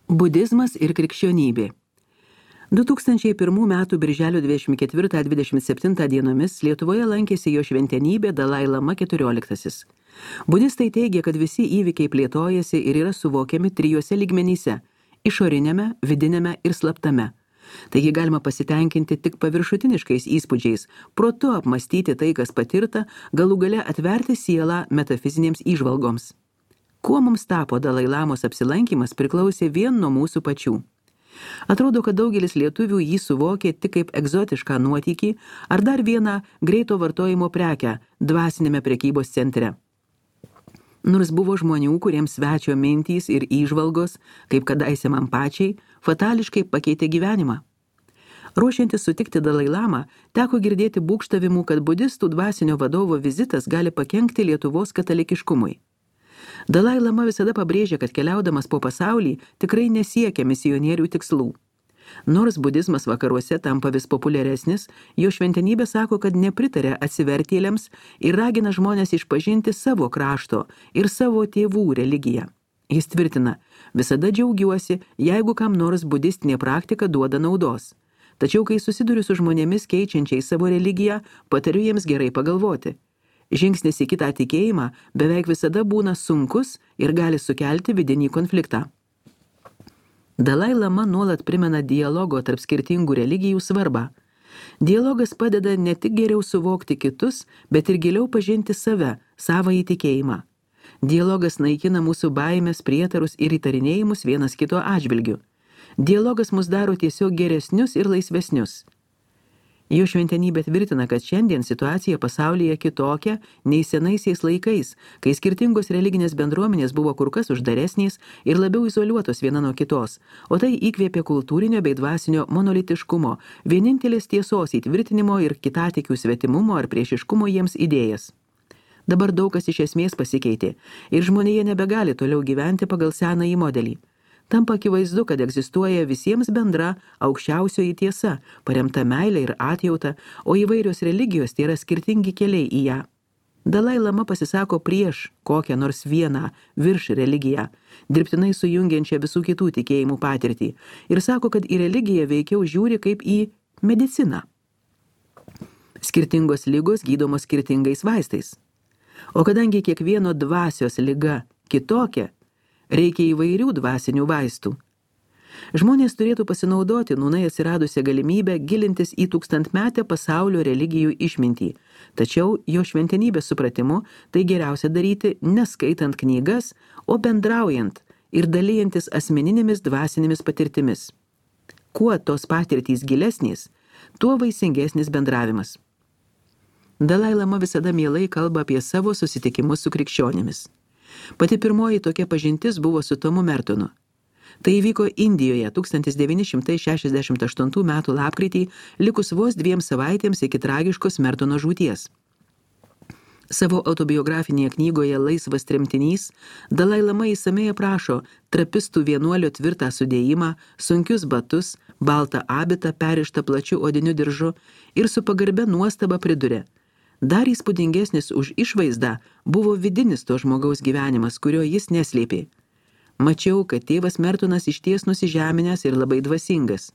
Budizmas ir krikščionybė. 2001 m. birželio 24-27 dienomis Lietuvoje lankėsi jo šventenybė Dalai Lama XIV. Budistai teigia, kad visi įvykiai plėtojasi ir yra suvokiami trijose lygmenyse – išorinėme, vidinėme ir slaptame. Taigi galima pasitenkinti tik paviršutiniškais įspūdžiais, protu apmastyti tai, kas patirta, galų gale atverti sielą metafizinėms įžvalgoms. Kuo mums tapo Dalai Lamos apsilankymas priklausė vien nuo mūsų pačių. Atrodo, kad daugelis lietuvių jį suvokė tik kaip egzotišką nuotykį ar dar vieną greito vartojimo prekę dvasinėme prekybos centre. Nors buvo žmonių, kuriems svečio mintys ir įžvalgos, kaip kadaise man pačiai, fatališkai pakeitė gyvenimą. Ruošiantis sutikti Dalai Lamą, teko girdėti būgštavimų, kad budistų dvasinio vadovo vizitas gali pakenkti Lietuvos katalikiškumui. Dalai Lama visada pabrėžė, kad keliaudamas po pasaulį tikrai nesiekia misionierių tikslų. Nors budizmas vakaruose tampa vis populiaresnis, jo šventenybė sako, kad nepritarė atsivertėliams ir ragina žmonės išpažinti savo krašto ir savo tėvų religiją. Jis tvirtina, visada džiaugiuosi, jeigu kam nors budistinė praktika duoda naudos. Tačiau, kai susiduriu su žmonėmis keičiančiai savo religiją, patariu jiems gerai pagalvoti. Žingsnis į kitą tikėjimą beveik visada būna sunkus ir gali sukelti vidinį konfliktą. Dalai Lama nuolat primena dialogo tarp skirtingų religijų svarbą. Dialogas padeda ne tik geriau suvokti kitus, bet ir giliau pažinti save, savąjį tikėjimą. Dialogas naikina mūsų baimės, prietarus ir įtarinėjimus vienas kito atžvilgiu. Dialogas mus daro tiesiog geresnius ir laisvesnius. Jo šventenybė tvirtina, kad šiandien situacija pasaulyje kitokia nei senaisiais laikais, kai skirtingos religinės bendruomenės buvo kur kas uždaresnės ir labiau izoliuotos viena nuo kitos, o tai įkvėpė kultūrinio bei dvasinio monolitiškumo, vienintelės tiesos įtvirtinimo ir kitatikių svetimumo ar priešiškumo jiems idėjas. Dabar daug kas iš esmės pasikeitė ir žmonėje nebegali toliau gyventi pagal senąjį modelį. Tampa akivaizdu, kad egzistuoja visiems bendra aukščiausioji tiesa, paremta meilė ir atjauta, o įvairios religijos tai yra skirtingi keliai į ją. Dalai Lama pasisako prieš kokią nors vieną virš religiją, dirbtinai sujungiančią visų kitų tikėjimų patirtį, ir sako, kad į religiją veikiau žiūri kaip į mediciną. Skirtingos ligos gydomos skirtingais vaistais. O kadangi kiekvieno dvasios liga kitokia, reikia įvairių dvasinių vaistų. Žmonės turėtų pasinaudoti nūnai atsiradusią galimybę gilintis į tūkstantmetę pasaulio religijų išmintį, tačiau jo šventenybės supratimu tai geriausia daryti neskaitant knygas, o bendraujant ir dalijantis asmeninėmis dvasinėmis patirtimis. Kuo tos patirtys gilesnės, tuo vaisingesnis bendravimas. Dalai Lama visada mielai kalba apie savo susitikimus su krikščionimis. Pati pirmoji tokia pažintis buvo su Tomu Mertonu. Tai įvyko Indijoje 1968 m. lapkritį, likus vos 2 savaitėms iki tragiškos Mertono žūties. Savo autobiografinėje knygoje Laisvas tremtinys Dalai Lama įsamiai aprašo trapistų vienuolio tvirtą sudėjimą, sunkius batus, baltą abitą perištą plačiu odiniu diržu ir su pagarbia nuostaba priduria. Dar įspūdingesnis už išvaizdą buvo vidinis to žmogaus gyvenimas, kurio jis neslėpė. Mačiau, kad tėvas Mertonas išties nusižeminęs ir labai dvasingas.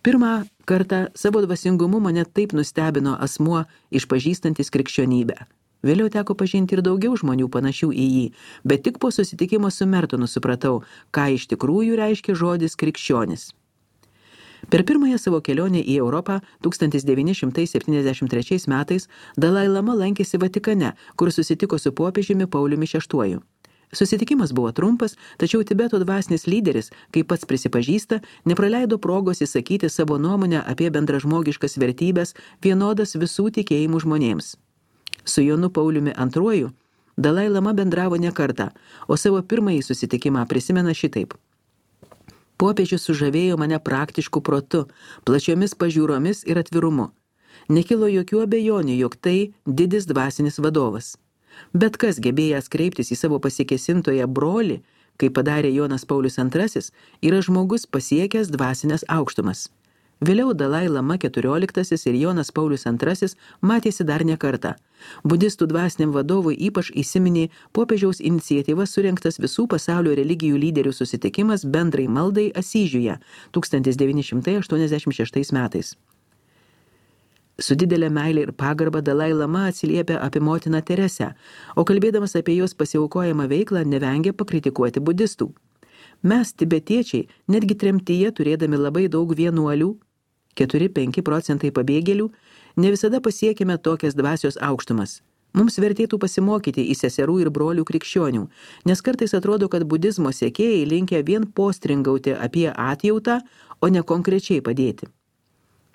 Pirmą kartą savo dvasingumu mane taip nustebino asmuo išpažįstantis krikščionybę. Vėliau teko pažinti ir daugiau žmonių panašių į jį, bet tik po susitikimo su Mertonu supratau, ką iš tikrųjų reiškia žodis krikščionis. Per pirmąją savo kelionę į Europą 1973 metais Dalai Lama lankėsi Vatikane, kur susitiko su popiežiumi Pauliumi VI. Susitikimas buvo trumpas, tačiau Tibeto dvasinis lyderis, kaip pats prisipažįsta, nepraleido progos įsakyti savo nuomonę apie bendražmogiškas vertybės vienodas visų tikėjimų žmonėms. Su Jonu Pauliumi II Dalai Lama bendravo ne kartą, o savo pirmąjį susitikimą prisimena šitaip. Popiežius sužavėjo mane praktišku protu, plačiomis pažiūromis ir atvirumu. Nekilo jokių abejonių, jog tai didis dvasinis vadovas. Bet kas gebėjęs kreiptis į savo pasikesintoją brolį, kaip padarė Jonas Paulius II, yra žmogus pasiekęs dvasinės aukštumas. Vėliau Dalai Lama XIV ir Jonas Paulius II matėsi dar ne kartą. Budistų dvasiniam vadovui ypač įsiminė popiežiaus iniciatyva surengtas visų pasaulio religijų lyderių susitikimas bendrai maldai Asyžiuje 1986 metais. Su didelė meilė ir pagarba Dalai Lama atsiliepia apie motiną Teresę, o kalbėdamas apie jos pasiaukojamą veiklą nevengia pakritikuoti budistų. Mes, tibetiečiai, netgi tremtyje turėdami labai daug vienuolių, 4–5 procentai pabėgėlių, ne visada pasiekime tokias dvasios aukštumas. Mums vertėtų pasimokyti į seserų ir brolių krikščionių, nes kartais atrodo, kad budizmo sekėjai linkę vien postringauti apie atjautą, o ne konkrečiai padėti.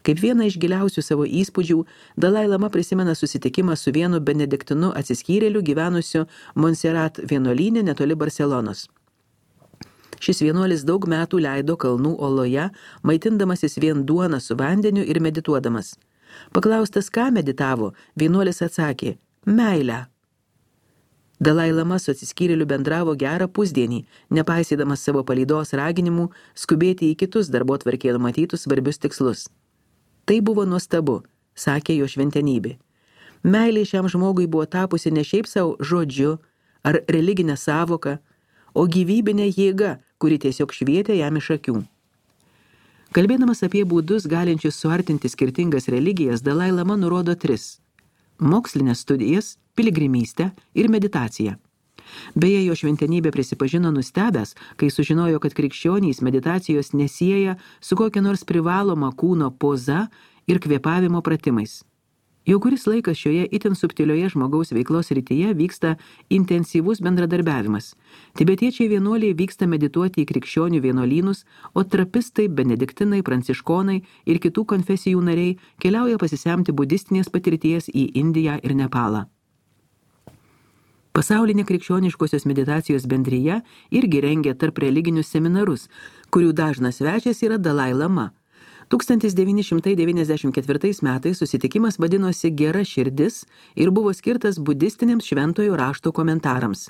Kaip vieną iš giliausių savo įspūdžių, Dalai Lama prisimena susitikimą su vienu benediktinu atsiskyrėliu gyvenusiu Montserrat vienuolyne netoli Barselonos. Šis vienuolis daug metų leido kalnų oloje, maitindamasis vien duoną su vandeniu ir medituodamas. Paklaustas, ką meditavo, vienuolis atsakė – meilę. Dalai Lama su atsiskyrėliu bendravo gerą pusdienį, nepaisydamas savo palydos raginimų skubėti į kitus darbotvarkėje numatytus svarbius tikslus. Tai buvo nuostabu, sakė jo šventenybė. Meilė šiam žmogui buvo tapusi ne šiaip savo žodžiu ar religinę savoką, o gyvybinė jėga, kuri tiesiog švietė jam iš akių. Kalbėdamas apie būdus galinčius suartinti skirtingas religijas, Dalai Lama nurodo 3 – mokslinės studijas, piligrimystę ir meditaciją. Beje, jo šventenybė prisipažino nustebęs, kai sužinojo, kad krikščionys meditacijos nesieja su kokia nors privaloma kūno poza ir kvėpavimo pratimais. Jau kuris laikas šioje itin subtilioje žmogaus veiklos rytyje vyksta intensyvus bendradarbiavimas. Tibetiečiai vienuoliai vyksta medituoti į krikščionių vienuolynus, o trapistai, benediktinai, pranciškonai ir kitų konfesijų nariai keliauja pasisemti budistinės patirties į Indiją ir Nepalą. Pasaulinė krikščioniškosios meditacijos bendrija irgi rengia tarp religinius seminarus, kurių dažnas svečias yra Dalai Lama. 1994 metais susitikimas vadinosi Gera širdis ir buvo skirtas budistiniams šventojo rašto komentarams.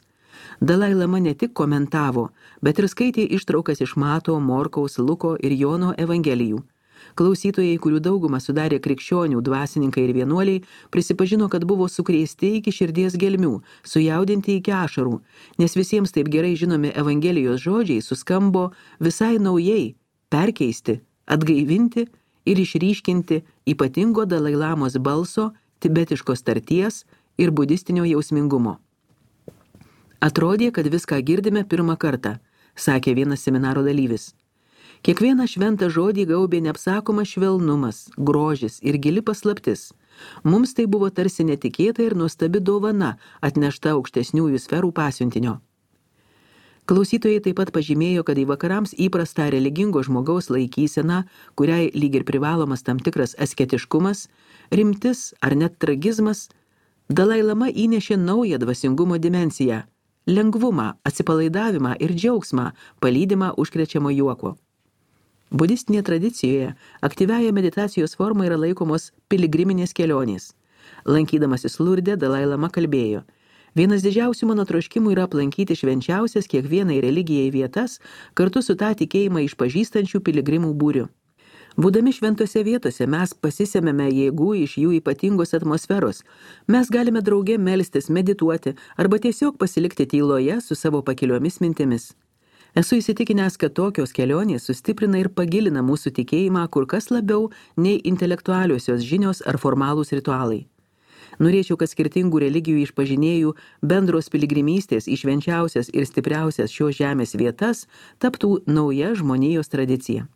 Dalai Lama ne tik komentavo, bet ir skaitė ištraukas iš Mato, Morkaus, Luko ir Jono evangelijų. Klausytojai, kurių daugumą sudarė krikščionių, dvasininkai ir vienuoliai, prisipažino, kad buvo sukrėsti iki širdies gelmių, sujaudinti iki ašarų, nes visiems taip gerai žinomi evangelijos žodžiai suskambo visai naujai, perkeisti, atgaivinti ir išryškinti ypatingo Dalai Lamos balso, tibetiškos tarties ir budistinio jausmingumo. Atrodė, kad viską girdime pirmą kartą, sakė vienas seminaro dalyvis. Kiekvieną šventą žodį gaubė neapsakomas švelnumas, grožis ir gili paslaptis. Mums tai buvo tarsi netikėta ir nuostabi dovana, atnešta aukštesniųjų sferų pasiuntinio. Klausytojai taip pat pažymėjo, kad į vakarams įprastą religingo žmogaus laikyseną, kuriai lyg ir privalomas tam tikras asketiškumas, rimtis ar net tragizmas, Dalai Lama įnešė naują dvasingumo dimensiją – lengvumą, atsipalaidavimą ir džiaugsmą, palydimą užkrečiamo juoko. Budistinėje tradicijoje aktyviaja meditacijos forma yra laikomos piligriminės kelionės. Lankydamasis Lurde, Dalai Lama kalbėjo: vienas didžiausių mano troškimų yra aplankyti švenčiausias kiekvienai religijai vietas kartu su tą tikėjimą išpažįstančių piligrimų būriu. Būdami šventose vietose mes pasisemiame jėgų iš jų ypatingos atmosferos. Mes galime drauge melstis, medituoti arba tiesiog pasilikti tyloje su savo pakiliomis mintimis. Esu įsitikinęs, kad tokios kelionės sustiprina ir pagilina mūsų tikėjimą kur kas labiau nei intelektualiosios žinios ar formalūs ritualai. Norėčiau, kad skirtingų religijų išpažinėjų bendros piligrimystės į švenčiausias ir stipriausias šios žemės vietas taptų nauja žmonijos tradicija.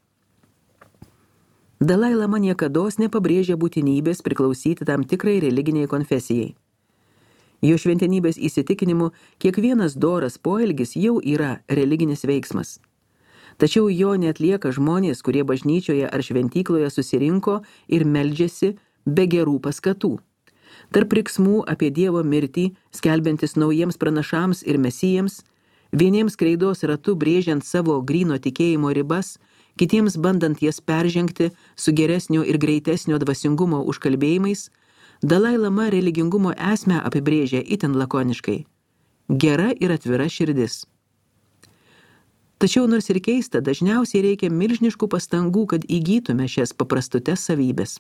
Dalai Lama niekados nepabrėžė būtinybės priklausyti tam tikrai religiniai konfesijai. Jo šventenybės įsitikinimu kiekvienas doras poelgis jau yra religinis veiksmas. Tačiau jo neatlieka žmonės, kurie bažnyčioje ar šventykloje susirinko ir meldžiasi be gerų paskatų. Tarp riksmų apie Dievo mirtį, skelbiantis naujiems pranašams ir mesijams, vieniems kreidos ratu brėžiant savo gryno tikėjimo ribas, kitiems bandant jas peržengti su geresnio ir greitesnio dvasingumo užkalbėjimais, Dalai Lama religingumo esmę apibrėžia itin lakoniškai – gera ir atvira širdis. Tačiau nors ir keista, dažniausiai reikia milžiniškų pastangų, kad įgytume šias paprastutes savybės.